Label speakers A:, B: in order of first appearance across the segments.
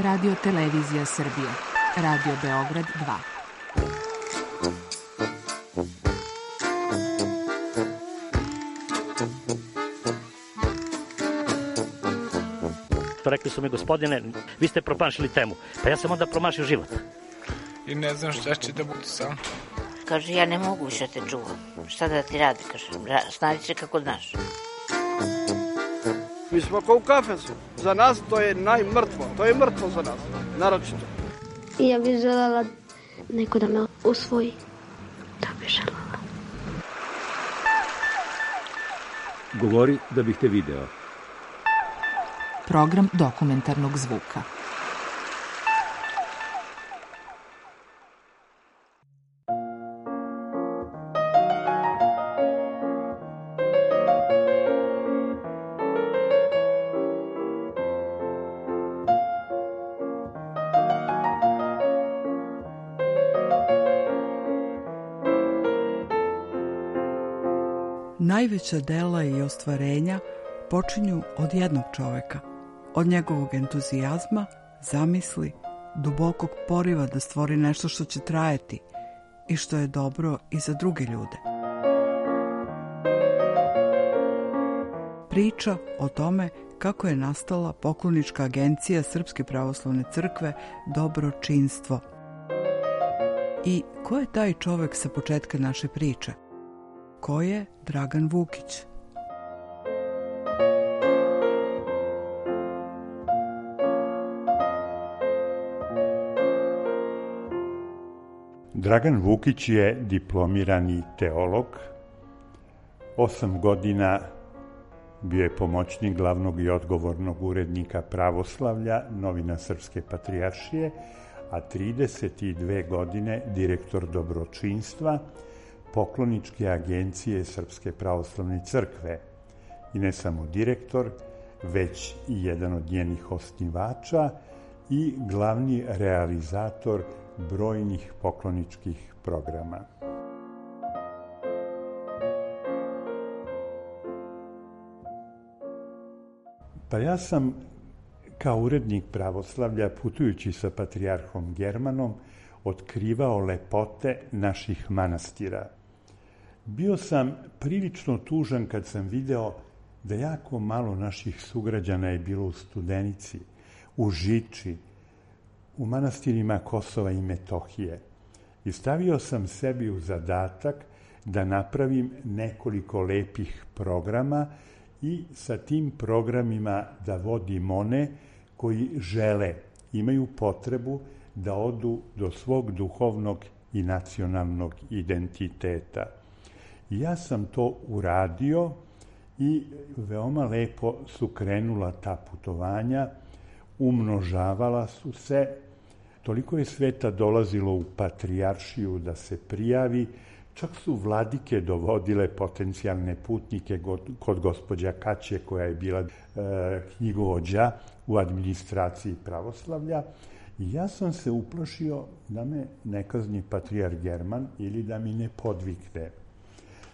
A: Radio Televizija Srbije, Radio Beograd 2.
B: Rekli su mi, gospodine, vi ste promašili temu. Pa ja sam onda promašio život.
C: I ne znam šta će da bude sam.
D: Kaže, ja ne mogu više te čuvam. Šta da ti radi, kaže, snađi se kako znaš.
E: Mi smo kao u kafesu. Za nas to je najmrtvo. To je mrtvo za nas, naročito.
F: I ja bih želela neko da me usvoji. To bih želela.
G: Govori da bih te video.
A: Program dokumentarnog zvuka.
H: Najveća dela i ostvarenja počinju od jednog čoveka, od njegovog entuzijazma, zamisli, dubokog poriva da stvori nešto što će trajati i što je dobro i za druge ljude. Priča o tome kako je nastala poklonička agencija Srpske pravoslavne crkve Dobročinstvo. I ko je taj čovek sa početka naše priče? Ko je Dragan Vukić?
I: Dragan Vukić je diplomirani teolog. 8 godina bio je pomoćnik glavnog i odgovornog urednika pravoslavlja, novina Srpske patrijaršije, a 32 godine direktor Dobročinstva, pokloničke agencije Srpske pravoslavne crkve. I ne samo direktor, već i jedan od njenih osnivača i glavni realizator brojnih pokloničkih programa. Pa ja sam kao urednik pravoslavlja, putujući sa patrijarhom Germanom, otkrivao lepote naših manastira. Bio sam prilično tužan kad sam video da jako malo naših sugrađana je bilo u Studenici, u Žiči, u manastirima Kosova i Metohije. I stavio sam sebi u zadatak da napravim nekoliko lepih programa i sa tim programima da vodim one koji žele, imaju potrebu da odu do svog duhovnog i nacionalnog identiteta. I ja sam to uradio i veoma lepo su krenula ta putovanja, umnožavala su se, toliko je sveta dolazilo u patrijaršiju da se prijavi, čak su vladike dovodile potencijalne putnike kod gospođa Kaće, koja je bila knjigovođa u administraciji pravoslavlja. I ja sam se uplašio da me ne kazni patrijarh German ili da mi ne podvikne.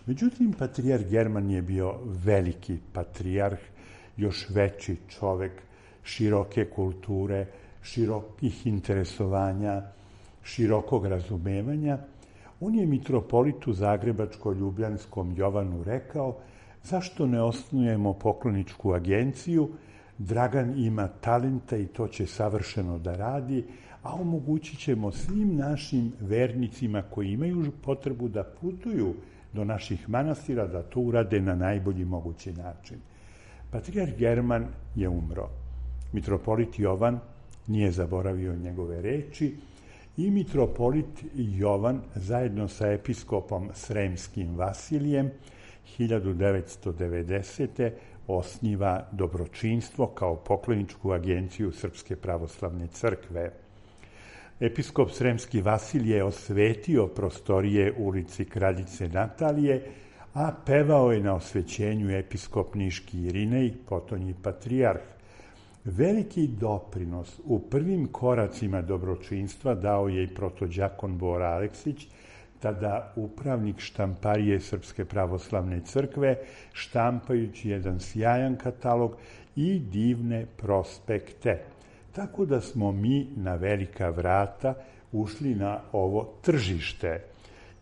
I: Međutim, patrijarh German je bio veliki patrijarh, još veći čovek, široke kulture, širokih interesovanja, širokog razumevanja. On je mitropolitu Zagrebačko-Ljubljanskom Jovanu rekao: zašto ne osnujemo pokloničku agenciju? Dragan ima talenta i to će savršeno da radi, a omogućit ćemo svim našim vernicima koji imaju potrebu da putuju do naših manastira da to urade na najbolji mogući način. Patrijarh German je umro. Mitropolit Jovan nije zaboravio njegove reči i mitropolit Jovan zajedno sa episkopom Sremskim Vasilijem 1990. osniva Dobročinstvo kao pokloničku agenciju Srpske pravoslavne crkve. Episkop Sremski Vasilije je osvetio prostorije ulici Kraljice Natalije, a pevao je na osvećenju episkop Niški Irinej, potonji patrijarh. Veliki doprinos u prvim koracima Dobročinstva dao je i protođakon Bora Aleksić, tada upravnik štamparije Srpske pravoslavne crkve, štampajući jedan sjajan katalog i divne prospekte. Tako da smo mi na velika vrata ušli na ovo tržište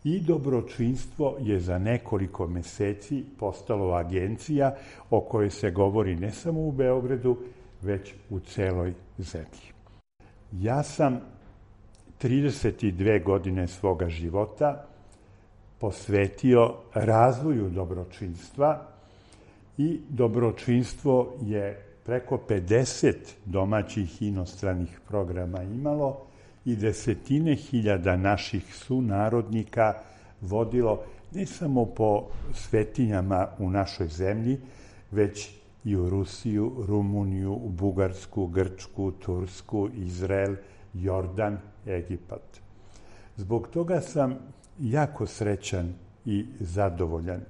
I: i dobročinstvo je za nekoliko meseci postalo agencija o kojoj se govori ne samo u Beogradu, već u celoj zemlji. Ja sam 32 godine svoga života posvetio razvoju dobročinstva i dobročinstvo je preko 50 domaćih i inostranih programa imalo i desetine hiljada naših sunarodnika vodilo ne samo po svetinjama u našoj zemlji, već i u Rusiju, Rumuniju, Bugarsku, Grčku, Tursku, Izrael, Jordan, Egipat. Zbog toga sam jako srećan i zadovoljan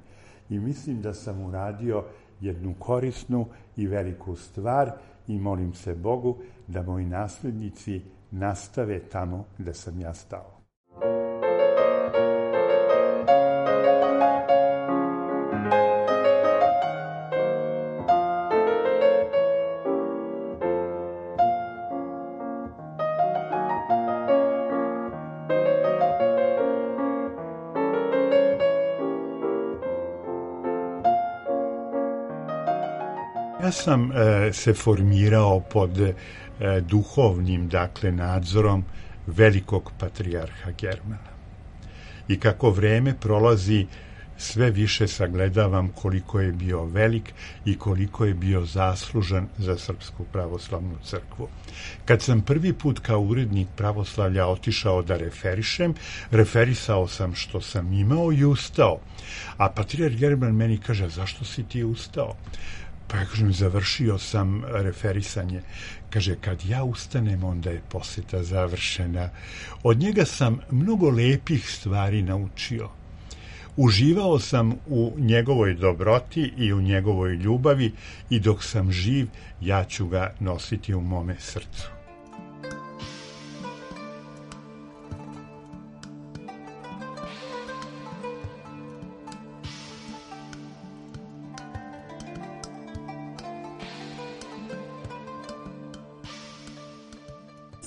I: i mislim da sam uradio jednu korisnu i veliku stvar i molim se Bogu da moji naslednici nastave tamo gde sam ja stao. Ja sam se formirao pod duhovnim, nadzorom velikog patrijarha Germana. I kako vreme prolazi, sve više sagledavam koliko je bio velik i koliko je bio zaslužan za Srpsku pravoslavnu crkvu. Kad sam prvi put kao urednik pravoslavlja otišao da referišem, referisao sam što sam imao i ustao. A patrijarh German meni kaže, zašto si ti ustao? Pa ja kažem, završio sam referisanje. Kaže, kad ja ustanem, onda je poseta završena. Od njega sam mnogo lepih stvari naučio. Uživao sam u njegovoj dobroti i u njegovoj ljubavi i dok sam živ, ja ću ga nositi u mome srcu.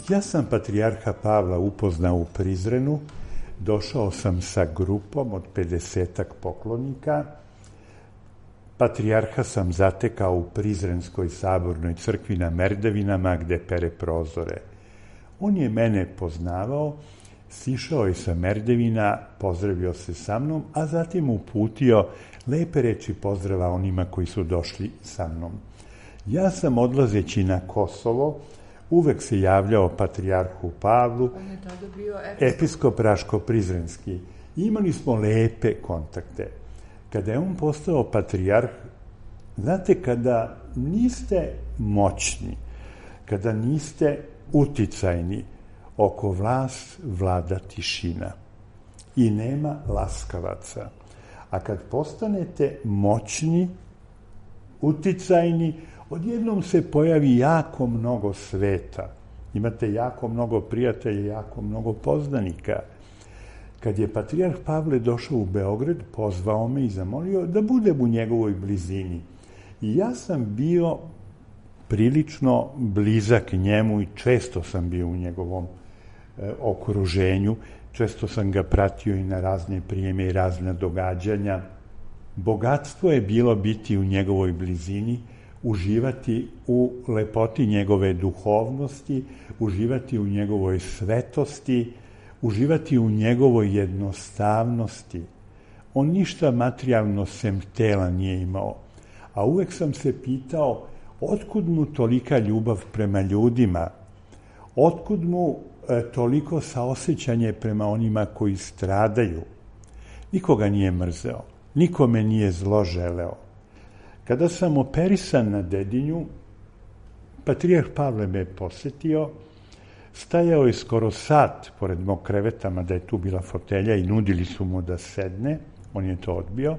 I: Ja sam patrijarha Pavla upoznao u Prizrenu, došao sam sa grupom od 50 poklonika. Patrijarha sam zatekao u Prizrenskoj sabornoj crkvi na Merdevinama gde pere prozore. On je mene poznavao, sišao je sa Merdevina, pozdravio se sa mnom, a zatim uputio lepe reči pozdrava onima koji su došli sa mnom. Ja sam odlazeći na Kosovo, uvek se javljao patrijarhu Pavlu,
H: on je tada bio
I: episkop Raško-Prizrenski. Imali smo lepe kontakte. Kada je on postao patrijarh, znate, kada niste moćni, kada niste uticajni, oko vas vlada tišina i nema laskavaca. A kad postanete moćni, uticajni, odjednom se pojavi jako mnogo sveta. Imate jako mnogo prijatelja, jako mnogo poznanika. Kad je patrijarh Pavle došao u Beograd, pozvao me i zamolio da budem u njegovoj blizini. I ja sam bio prilično blizak njemu i često sam bio u njegovom okruženju. Često sam ga pratio i na razne prijeme i razne događanja. Bogatstvo je bilo biti u njegovoj blizini, uživati u lepoti njegove duhovnosti, uživati u njegovoj svetosti, uživati u njegovoj jednostavnosti. On ništa materijalno sem tela nije imao, a uvek sam se pitao otkud mu tolika ljubav prema ljudima, otkud mu toliko saosećanje prema onima koji stradaju. Nikoga nije mrzeo, nikome nije zlo želeo. Kada sam operisan na Dedinju, patrijarh Pavle me posetio, stajao je skoro sat pored mog kreveta, mada je tu bila fotelja i nudili su mu da sedne, on je to odbio.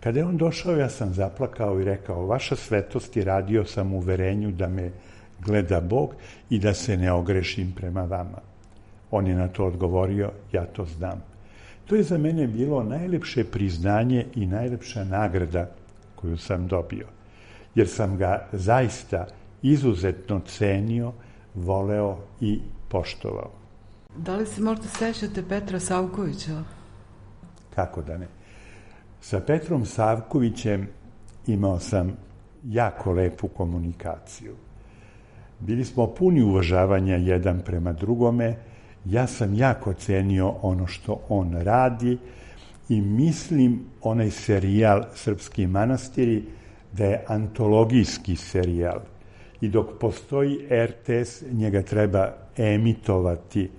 I: Kada je on došao, ja sam zaplakao i rekao, vaša svetost, i radio sam u uverenju da me gleda Bog i da se ne ogrešim prema vama. On je na to odgovorio, ja to znam. To je za mene bilo najlepše priznanje i najlepša nagrada koju sam dobio, jer sam ga zaista izuzetno cenio, voleo i poštovao.
H: Da li se možda sećate Petra Savkovića?
I: Kako da ne? Sa Petrom Savkovićem imao sam jako lepu komunikaciju. Bili smo puni uvažavanja jedan prema drugome. Ja sam jako cenio ono što on radi i mislim onaj serijal Srpski manastiri da je antologijski serijal. I dok postoji RTS, njega treba emitovati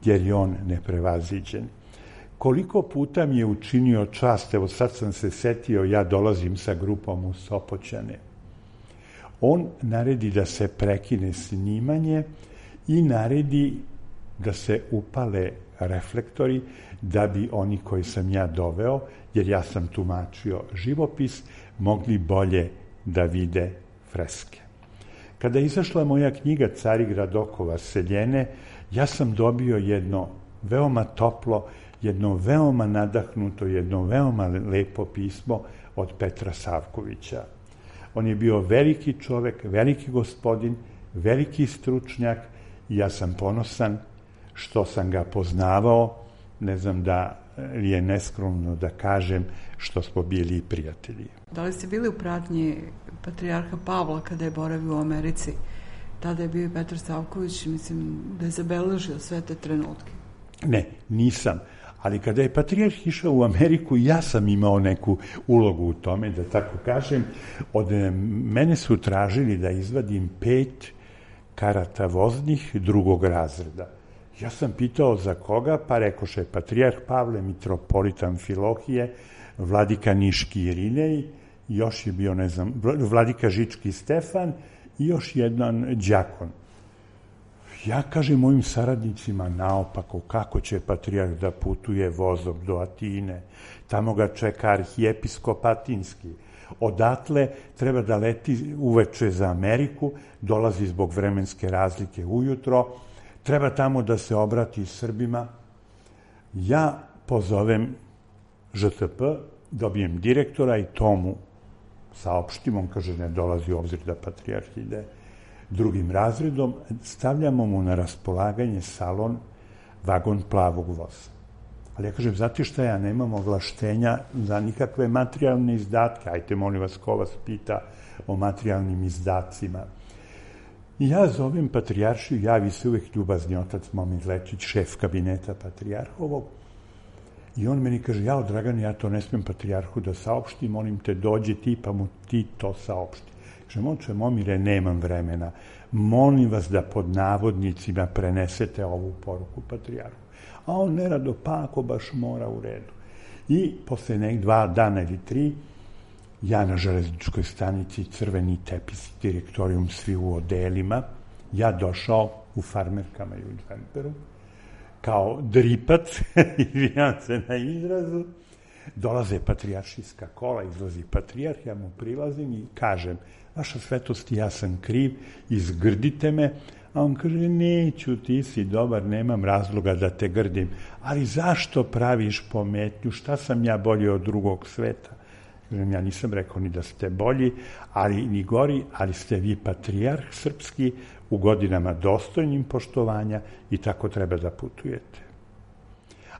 I: jer je on neprevaziđen. Koliko puta mi je učinio čast, evo sad sam se setio, ja dolazim sa grupom u Sopoćane. On naredi da se prekine snimanje i naredi da se upale reflektori da bi oni koji sam ja doveo, jer ja sam tumačio živopis, mogli bolje da vide freske. Kada je izašla moja knjiga Carigrad okova seljene, ja sam dobio jedno veoma toplo, jedno veoma nadahnuto, jedno veoma lepo pismo od Petra Savkovića. On je bio veliki čovek, veliki gospodin, veliki stručnjak i ja sam ponosan što sam ga poznavao, ne znam da li je neskromno da kažem što smo bili prijatelji.
H: Da li ste bili u pratnji patrijarha Pavla kada je boravio u Americi? Tada je bio i Petar Savković, mislim da je zabeležio sve te trenutke.
I: Ne, nisam. Ali kada je patrijarh išao u Ameriku, ja sam imao neku ulogu u tome, da tako kažem. Od mene su tražili da izvadim 5 karata voznih drugog razreda. Ja sam pitao za koga, pa rekoše patrijarh Pavle, mitropolit Amfilohije, vladika Niški Irinej, još je bio, ne znam, vladika Žički Stefan i još jedan đakon. Ja kažem mojim saradnicima naopako, kako će patrijarh da putuje vozom do Atine, tamo ga čeka arhijepiskop Atinski. Odatle treba da leti uveče za Ameriku, dolazi zbog vremenske razlike ujutro, treba tamo da se obrati Srbima. Ja pozovem ŽTP, dobijem direktora i to mu saopštim, on kaže ne dolazi u obzir da patrijarh ide drugim razredom, stavljamo mu na raspolaganje salon, vagon plavog voza. Ali ja kažem, znate šta, ja nemam ovlaštenja za nikakve materijalne izdatke, ajte molim vas ko vas pita o materijalnim izdacima. I ja zovem patrijaršiju, javi se uvek ljubazni otac Momir Lečić, šef kabineta patrijarhovog, i on meni kaže, jao Dragan, ja to ne smijem patrijarhu da saopštim, molim te dođi ti pa mu ti to saopšti. Kaže, moče Momire, nemam vremena, molim vas da pod navodnicima prenesete ovu poruku patrijarhu. A on nerado, pa ako baš mora, u redu. I posle 2 dana ili 3, ja na železničkoj stanici, crveni tepis, direktorijum, svi u odelima, ja došao u farmerkama i u džemperu, kao dripac, izvinjam se na izrazu, dolaze patrijaršijska kola, izlazi patrijarh, ja mu prilazim i kažem, vaša svetost, ja sam kriv, izgrdite me, a on kaže, neću, ti si dobar, nemam razloga da te grdim, ali zašto praviš pometnju, šta sam ja bolji od drugog sveta? Ja nisam rekao ni da ste bolji, ali ni gori, ali ste vi patrijarh srpski u godinama dostojnim poštovanja i tako treba da putujete.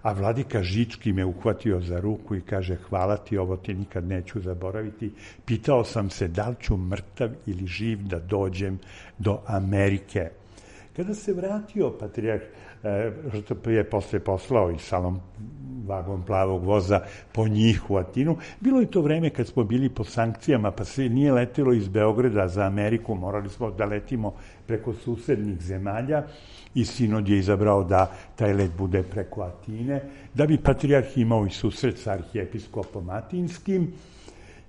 I: A vladika Žički me uhvatio za ruku i kaže, hvala ti, ovo ti nikad neću zaboraviti. Pitao sam se da li ću mrtav ili živ da dođem do Amerike. Kada se vratio patrijarh, što je posle poslao i salon vagon plavog voza po njih u Atinu, bilo je to vreme kad smo bili po sankcijama, pa se nije letelo iz Beograda za Ameriku, morali smo da letimo preko susednih zemalja i sinod je izabrao da taj let bude preko Atine, da bi patrijarh imao i susret sa arhijepiskopom Atinskim.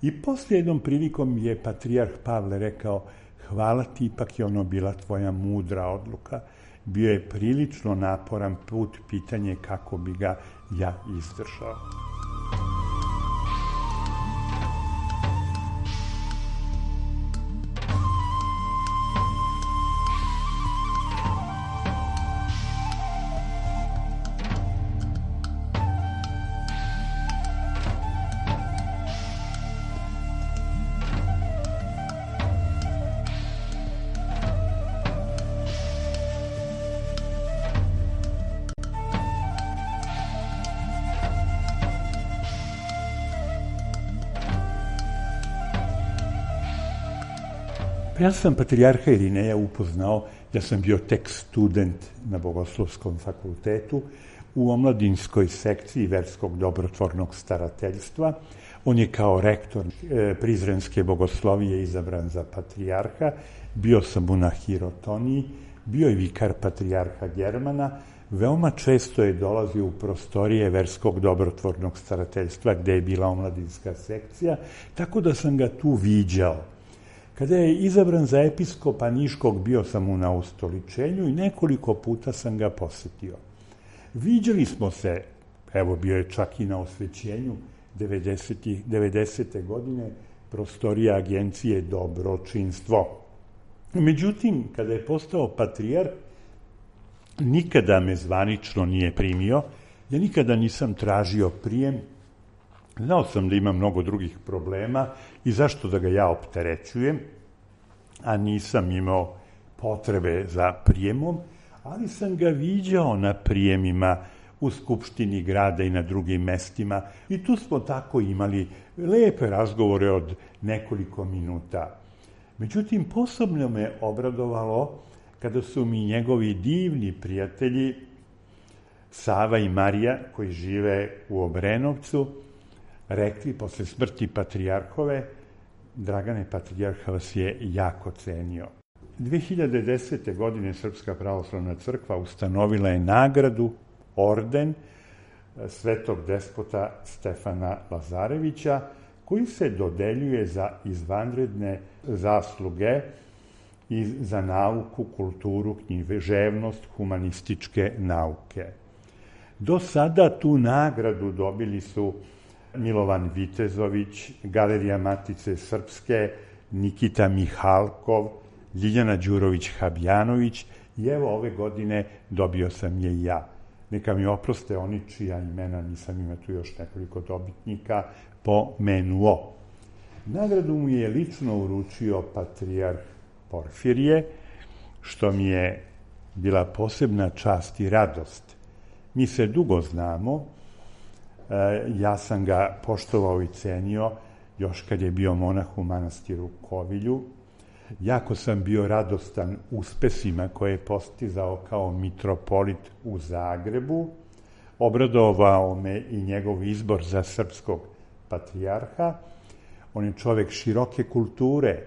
I: I posle jednom prilikom je patrijarh Pavle rekao, hvala ti, ipak je ono bila tvoja mudra odluka. Bio je prilično naporan put, pitanje kako bi ga ja izdržao. Pa ja sam patrijarha Irineja upoznao, ja sam bio tek student na Bogoslovskom fakultetu u omladinskoj sekciji verskog dobrotvornog starateljstva. On je kao rektor Prizrenske bogoslovije izabran za patrijarha, bio sam mu na hirotoniji, bio je vikar patrijarha Germana, veoma često je dolazio u prostorije verskog dobrotvornog starateljstva gde je bila omladinska sekcija, tako da sam ga tu viđao. Kada je izabran za episkopa Niškog, bio sam mu na ustoličenju i nekoliko puta sam ga posetio. Viđali smo se, evo bio je čak i na osvećenju 90. godine prostorija agencije Dobročinstvo. Međutim, kada je postao patrijarh, nikada me zvanično nije primio, ja nikada nisam tražio prijem, znao sam da ima mnogo drugih problema i zašto da ga ja opterećujem, a nisam imao potrebe za prijemom, ali sam ga viđao na prijemima u Skupštini grada i na drugim mestima i tu smo tako imali lepe razgovore od nekoliko minuta. Međutim, posebno me obradovalo kada su mi njegovi divni prijatelji Sava i Marija, koji žive u Obrenovcu, rekli posle smrti patrijarhove: Dragane, patrijarha vas je jako cenio. 2010. godine Srpska pravoslavna crkva ustanovila je nagradu, orden svetog despota Stefana Lazarevića, koji se dodeljuje za izvanredne zasluge i za nauku, kulturu, književnost, humanističke nauke. Do sada tu nagradu dobili su Milovan Vitezović, Galerija Matice Srpske, Nikita Mihalkov, Ljiljana Đurović-Habjanović i evo ove godine dobio sam je i ja. Neka mi oproste oni čija imena, nisam ima tu još nekoliko dobitnika, pomenuo. Nagradu mu je lično uručio patrijarh Porfirije, što mi je bila posebna čast i radost. Mi se dugo znamo, ja sam ga poštovao i cenio još kad je bio monah u manastiru Kovilju. Jako sam bio radostan uspesima koje je postizao kao mitropolit u Zagrebu. Obradovao me i njegov izbor za srpskog patrijarha. On je čovek široke kulture,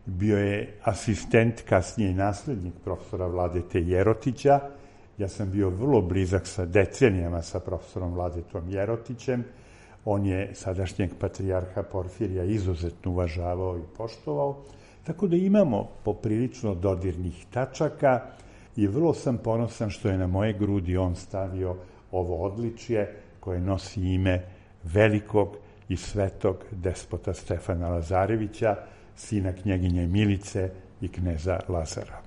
I: bio je asistent, kasnije i naslednik profesora Vladete Jerotića. Ja sam bio vrlo blizak sa decenijama sa profesorom Vladetom Jerotićem. On je sadašnjeg patrijarha Porfirija izuzetno uvažavao i poštovao. Tako da imamo poprilično dodirnih tačaka i vrlo sam ponosan što je na moje grudi on stavio ovo odličje koje nosi ime velikog i svetog despota Stefana Lazarevića, sina knjeginje Milice i kneza Lazara.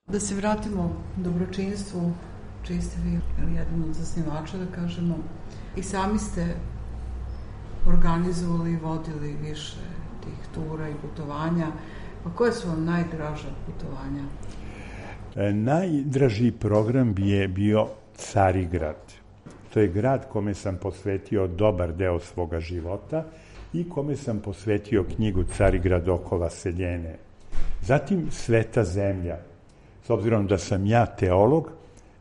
H: Da se vratimo dobročinstvu, čiji ste vi jedan od zasnivača, da kažemo, i sami ste organizovali i vodili više tih tura i putovanja. Pa koje su vam najdraža putovanja?
I: Najdraži program je bio Carigrad. To je grad kome sam posvetio dobar deo svoga života i kome sam posvetio knjigu Carigrad oko Vaseljene. Zatim Sveta zemlja. S obzirom da sam ja teolog,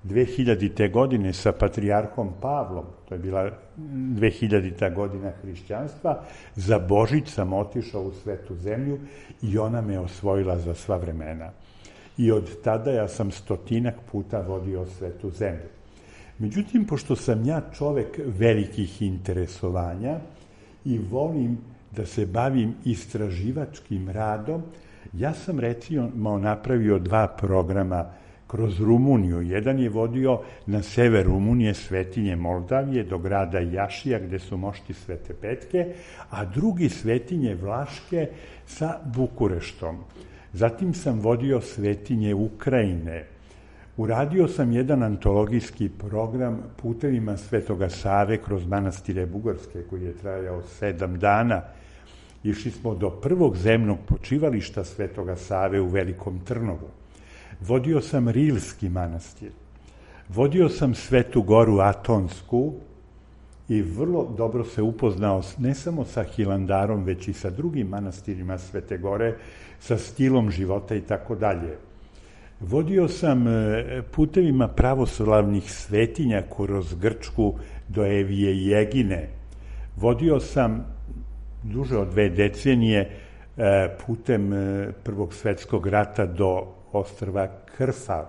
I: 2000. godine sa patrijarhom Pavlom, to je bila 2000. godina hrišćanstva, za Božić sam otišao u Svetu zemlju i ona me osvojila za sva vremena. I od tada ja sam 100 puta vodio Svetu zemlju. Međutim, pošto sam ja čovek velikih interesovanja i volim da se bavim istraživačkim radom, ja sam recimo napravio 2 programa kroz Rumuniju. Jedan je vodio na sever Rumunije, Svetinje Moldavije, do grada Jašija, gde su mošti Svete Petke, a drugi Svetinje Vlaške sa Bukureštom. Zatim sam vodio Svetinje Ukrajine. Uradio sam jedan antologijski program Putevima Svetoga Save kroz manastire Bugarske, koji je trajao 7 dana. Išli smo do prvog zemnog počivališta Svetoga Save u Velikom Trnovu. Vodio sam Rilski manastir. Vodio sam Svetu Goru Atonsku i vrlo dobro se upoznao ne samo sa Hilandarom, već i sa drugim manastirima Svete Gore, sa stilom života i tako dalje. Vodio sam putevima pravoslavnih svetinja kroz Grčku do Evije i Egine. Vodio sam duže od 2 decenije putem Prvog svetskog rata do ostrva Krfa,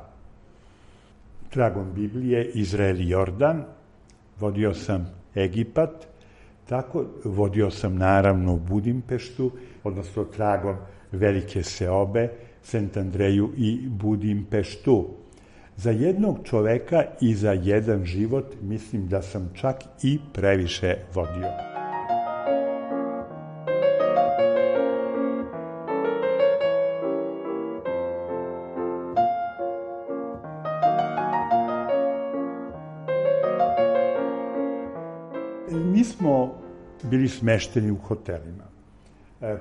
I: tragom Biblije, Izrael i Jordan. Vodio sam Egipat, vodio sam naravno Budimpeštu, odnosno tragom Velike Seobe, Sent Andreju i Budimpeštu. Za jednog čoveka i za jedan život mislim da sam čak i previše vodio. Mi smo bili smešteni u hotelima.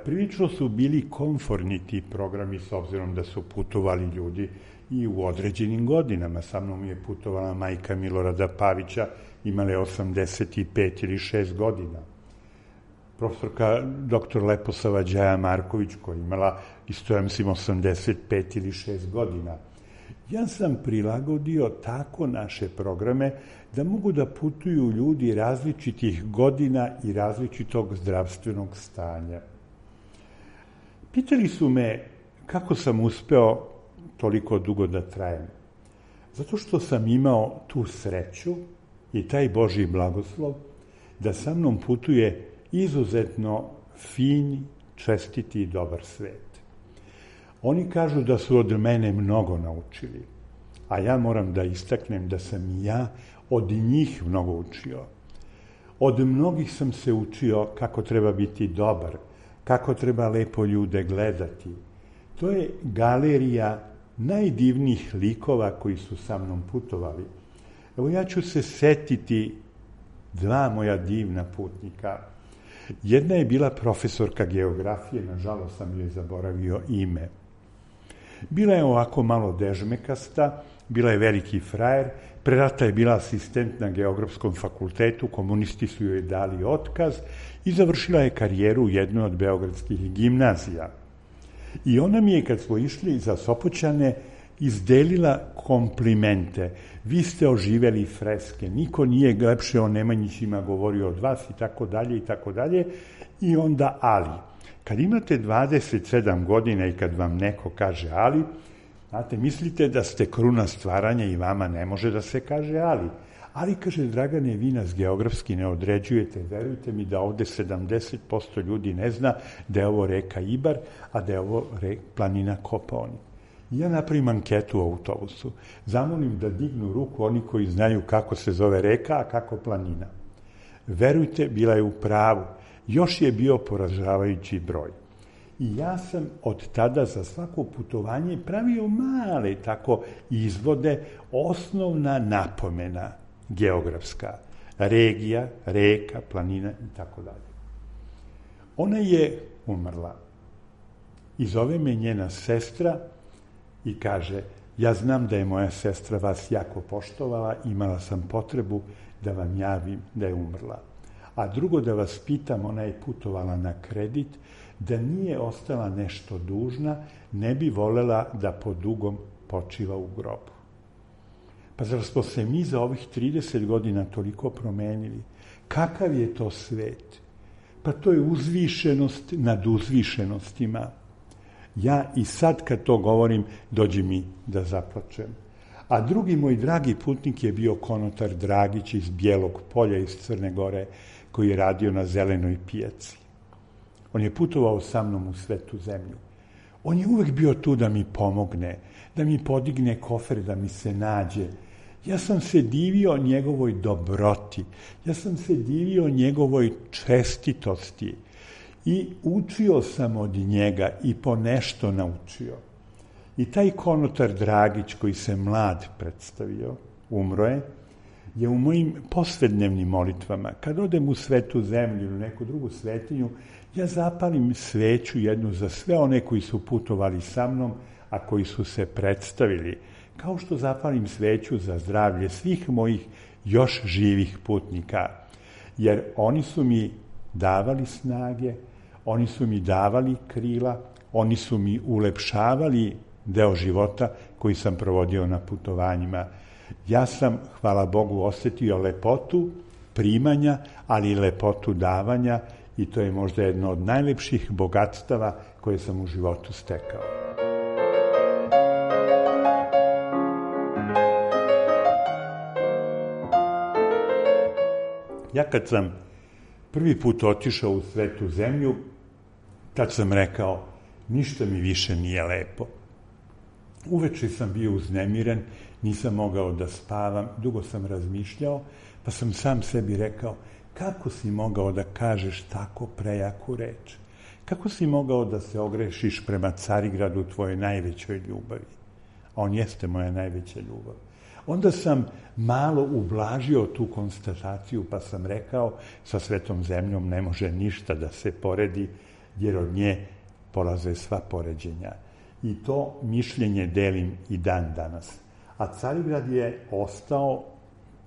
I: Prilično su bili komforni ti programi s obzirom da su putovali ljudi i u određenim godinama. Sa mnom je putovala majka Milorada Pavića, imala je 85 ili 6 godina. Profesorka dr. Leposava Đaja Marković, koja je imala isto, ja mislim, 85 ili 6 godina. Ja sam prilagodio tako naše programe da mogu da putuju ljudi različitih godina i različitog zdravstvenog stanja. Pitali su me kako sam uspeo toliko dugo da trajem. Zato što sam imao tu sreću i taj Božji blagoslov da sa mnom putuje izuzetno fin, čestiti i dobar svet. Oni kažu da su od mene mnogo naučili, a ja moram da istaknem da sam i ja od njih mnogo učio. Od mnogih sam se učio kako treba biti dobar, kako treba lepo ljude gledati. To je galerija najdivnijih likova koji su sa mnom putovali. Evo, ja ću se setiti 2 moja divna putnika. Jedna je bila profesorka geografije, nažalost sam joj zaboravio ime. Bila je ovako malo dežmekasta, bila je veliki frajer, pre rata je bila asistent na Geografskom fakultetu, komunisti su joj dali otkaz i završila je karijeru u jednoj od beogradskih gimnazija. I ona mi je, kad smo išli za Sopoćane, izdelila komplimente. Vi ste oživeli freske, niko nije lepše o Nemanjićima govorio od vas i tako dalje i tako dalje. I onda ali. Kad imate 27 godina i kad vam neko kaže ali, znate, mislite da ste kruna stvaranja i vama ne može da se kaže ali. Ali, kaže, Dragane, vi nas geografski ne određujete, verujte mi da ovde 70% ljudi ne zna da je ovo reka Ibar, a da je ovo planina Kopaonik. Ja napravim anketu u autobusu, zamolim da dignu ruku oni koji znaju kako se zove reka, a kako planina. Verujte, bila je u pravu. Još je bio poražavajući broj. I ja sam od tada za svako putovanje pravio male tako izvode, osnovna napomena geografska, regija, reka, planina i tako dalje. Ona je umrla i zove me njena sestra i kaže, ja znam da je moja sestra vas jako poštovala, imala sam potrebu da vam javim da je umrla. A drugo, da vas pitam, ona je putovala na kredit, da nije ostala nešto dužna, ne bi volela da po dugom počiva u grobu. Pa zar smo se mi za ovih 30 godina toliko promenili? Kakav je to svet? Pa to je uzvišenost nad uzvišenostima. Ja i sad kad to govorim, dođe mi da zaplačem. A drugi moj dragi putnik je bio konotar Dragić iz Bijelog Polja, iz Crne Gore, koji je radio na Zelenoj pijaci. On je putovao sa mnom u Svetu zemlju. On je uvek bio tu da mi pomogne, da mi podigne kofer, da mi se nađe. Ja sam se divio njegovoj dobroti, ja sam se divio njegovoj čestitosti i učio sam od njega i po nešto naučio. I taj konotar Dragić koji se mlad predstavio, umro je u mojim poslednevnim molitvama. Kad odem u Svetu zemlju ili neku drugu svetinju, ja zapalim sveću jednu za sve one koji su putovali sa mnom, a koji su se predstavili, kao što zapalim sveću za zdravlje svih mojih još živih putnika. Jer oni su mi davali snage, oni su mi davali krila, oni su mi ulepšavali deo života koji sam provodio na putovanjima. Ja sam, hvala Bogu, osetio lepotu primanja, ali i lepotu davanja i to je možda jedno od najlepših bogatstava koje sam u životu stekao. Ja kad sam prvi put otišao u Svetu zemlju, tad sam rekao, ništa mi više nije lepo. Uveče sam bio uznemiren, nisam mogao da spavam, dugo sam razmišljao, pa sam sam sebi rekao, kako si mogao da kažeš tako prejaku reč? Kako si mogao da se ogrešiš prema Carigradu, tvojoj najvećoj ljubavi? A on jeste moja najveća ljubav. Onda sam malo ublažio tu konstataciju, pa sam rekao, sa Svetom zemljom ne može ništa da se poredi, jer od nje polaze sva poređenja. I to mišljenje delim i dan danas. A Carigrad je ostao,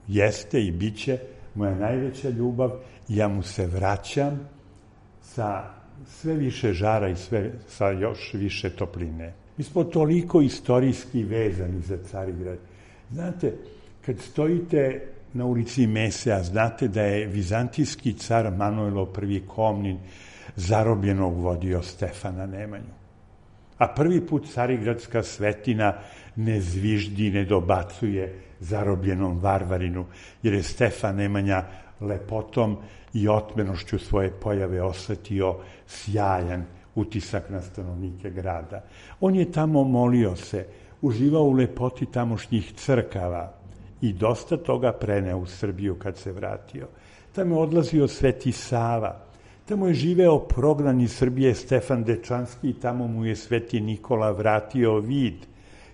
I: jeste i bit će moja najveća ljubav i ja mu se vraćam sa sve više žara i sa još više topline. Mi smo toliko istorijski vezani za Carigrad. Znate, kad stojite na ulici Mesea, znate da je vizantijski car Manojlo I Komnin zarobljenog vodio Stefana Nemanju. A prvi put carigradska svetina ne zviždi, ne dobacuje zarobljenom varvarinu, jer je Stefan Nemanja lepotom i otmenošću svoje pojave osetio sjajan utisak na stanovnike grada. On je tamo molio se, uživao u lepoti tamošnjih crkava i dosta toga preneo u Srbiju kad se vratio. Tamo je odlazio Sveti Sava, tamo je živeo prognan iz Srbije Stefan Dečanski i tamo mu je Sveti Nikola vratio vid.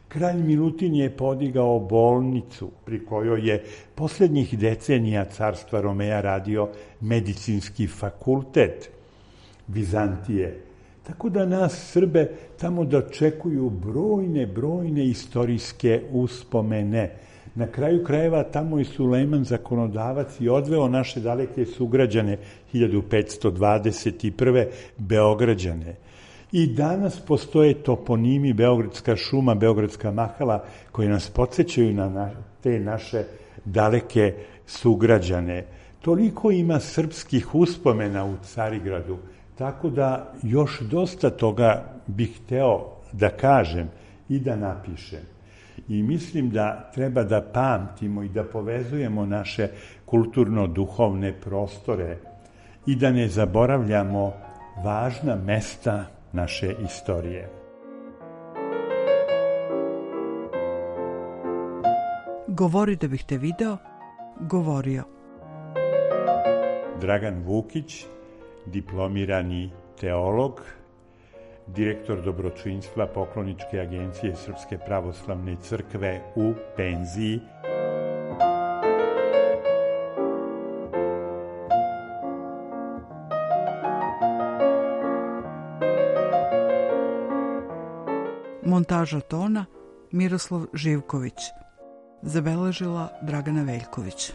I: Kralj Milutin je podigao bolnicu pri kojoj je posljednjih decenija carstva Romeja radio medicinski fakultet Vizantije. Tako da nas Srbe tamo dočekuju brojne istorijske uspomene. Na kraju krajeva tamo je Sulejman zakonodavac i odveo naše daleke sugrađane 1521. Beograđane. I danas postoje toponimi Beogradska šuma, Beogradska mahala koji nas podsjećaju na te naše daleke sugrađane. Toliko ima srpskih uspomena u Carigradu, tako da još dosta toga bih hteo da kažem i da napišem. I mislim da treba da pamtimo i da povezujemo naše kulturno-duhovne prostore i da ne zaboravljamo važna mesta naše istorije.
H: Govori da bih te video, govorio.
I: Dragan Vukić, diplomirani teolog, direktor dobročinstva Pokloničke agencije Srpske pravoslavne crkve u penziji.
H: Montaža tona Miroslav Živković. Zabeležila Dragana Veljković.